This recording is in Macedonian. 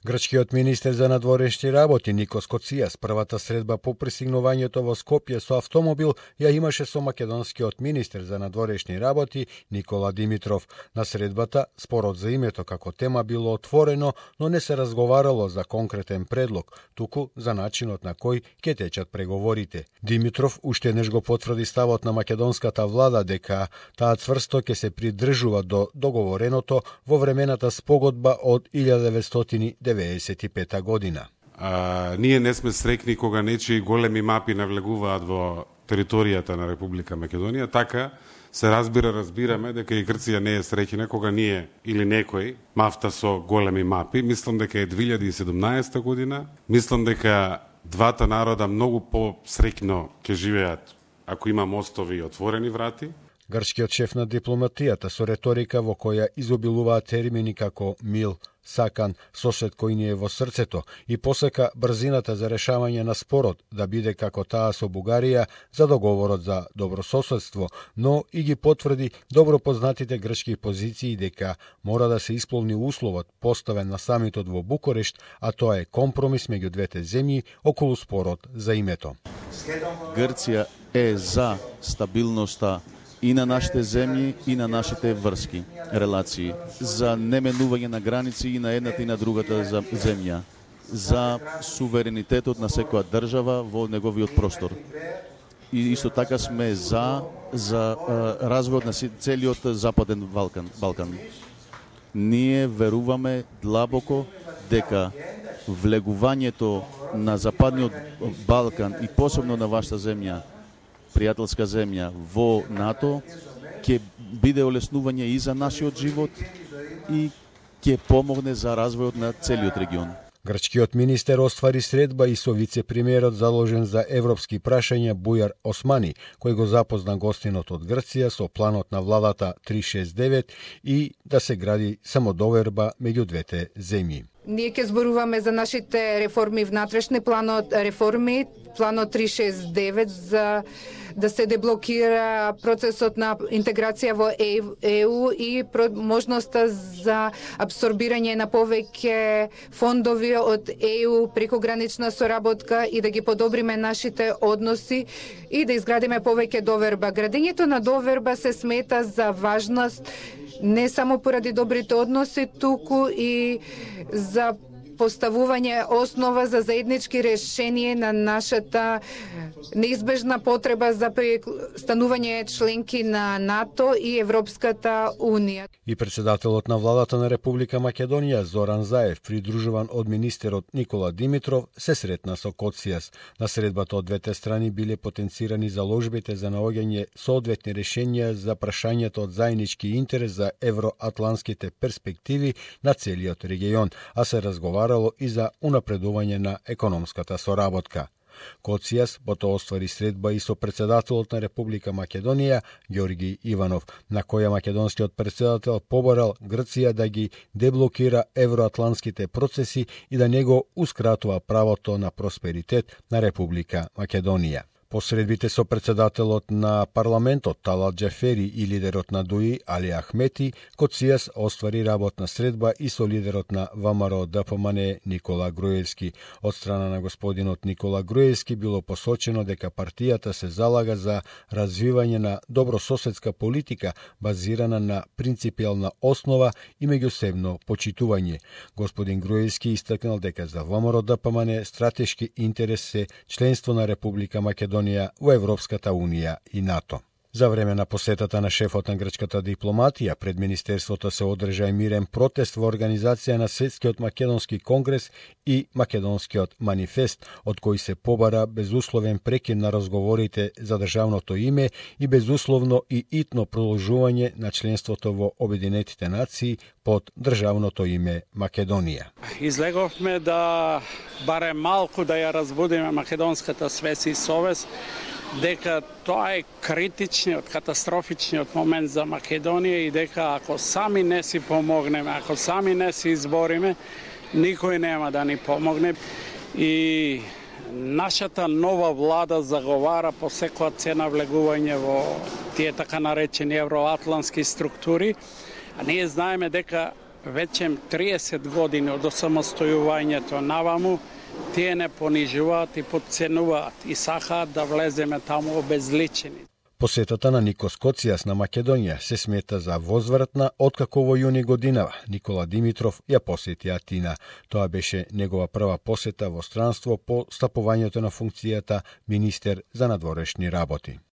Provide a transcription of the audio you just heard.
Грчкиот министер за надворешни работи Никос Коцијас првата средба по пристигнувањето во Скопје со автомобил ја имаше со македонскиот министер за надворешни работи Никола Димитров. На средбата спорот за името како тема било отворено, но не се разговарало за конкретен предлог, туку за начинот на кој ќе течат преговорите. Димитров уште еднаш го потврди ставот на македонската влада дека таа цврсто ќе се придржува до договореното во времената спогодба од 1995 година. Ние не сме срекни кога нечии големи мапи навлегуваат во територијата на Република Македонија, така се разбираме дека и Грција не е среќна кога ние или некој мафта со големи мапи. Мислам дека е 2017 година. Мислам дека двата народа многу посреќно ќе живеат ако има мостови и отворени врати. Грчкиот шеф на дипломатијата со реторика во која изобилуваат термини како мил, сакан, сосед кој ни е во срцето и посека брзината за решавање на спорот да биде како таа со Бугарија за договорот за добрососедство, но и ги потврди добро познатите грчки позиции дека мора да се исполни условот поставен на самитот во Букурешт, а тоа е компромис меѓу двете земји околу спорот за името. Грција е за стабилноста и на нашите земји и на нашите врски, релации, за неменување на граници и на едната и на другата земја, за суверенитетот на секоја држава во неговиот простор. И исто така сме за развојот на целиот Западен Балкан. Ние веруваме длабоко дека влегувањето на Западниот Балкан и посебно на вашата земја, пријателска земја во НАТО, ќе биде олеснување и за нашиот живот и ќе помогне за развојот на целиот регион. Грчкиот министер оствари средба и со вице-премиерот заложен за европски прашања Бујар Османи, кој го запозна гостинот од Грција со планот на владата 369 и да се гради самодоверба меѓу двете земји. Ние ќе зборуваме за нашите реформи внатрешни, планот 369 за да се деблокира процесот на интеграција во ЕУ и можноста за абсорбирање на повеќе фондови од ЕУ преку гранична соработка и да ги подобриме нашите односи и да изградиме повеќе доверба. Градењето на доверба се смета за важност не само поради добрите односи, туку и за поставување основа за заеднички решение на нашата неизбежна потреба за станување членки на НАТО и Европската Унија. И председателот на владата на Република Македонија Зоран Заев, придружуван од министерот Никола Димитров, се сретна со Коцијас. На средбата од двете страни биле потенцирани заложбите за наоѓање соодветни решенија за прашањето од заеднички интерес за евроатланските перспективи на целиот регион, а се разговарало и за унапредување на економската соработка. Коцијас потоа оствари средба и со председателот на Република Македонија Ѓорги Иванов, на која македонскиот председател побарал Грција да ги деблокира евроатланските процеси и да не го ускратува правото на просперитет на Република Македонија. Посредбите со председателот на парламентот Талат Џафери и лидерот на ДУИ Али Ахмети, Коцијас оствари работна средба и со лидерот на ВМРО ДПМН Никола Груевски. Од страна на господинот Никола Груевски било посочено дека партијата се залага за развивање на добрососедска политика базирана на принципијална основа и меѓусебно почитување. Господин Груевски истакнал дека за ВМРО ДПМН стратешки интерес се членство на Република Македонија во Европската Унија и НАТО. За време на посетата на шефот на грчката дипломатија пред Министерството се одржа мирен протест во организација на Светскиот македонски конгрес и Македонскиот манифест, од кој се побара безусловен прекин на разговорите за државното име и безусловно и итно продолжување на членството во Обединетите нации под државното име Македонија. Излеговме да барем малку да ја разбудиме македонската свест и совест дека тоа е критичниот, катастрофичниот момент за Македонија и дека ако сами не си помогнеме, ако сами не си избориме, никој нема да ни помогне. И нашата нова влада заговара по секоја цена влегување во тие така наречени евроатлански структури, а ние знаеме дека веќе 30 години од осамостојувањето наваму, тие не понижуваат и подценуваат и сакаат да влеземе таму обезличени. Посетата на Никос Коцијас на Македонија се смета за возвратна откако во јуни годинава Никола Димитров ја посети Атина. Тоа беше негова прва посета во странство по стапувањето на функцијата министер за надворешни работи.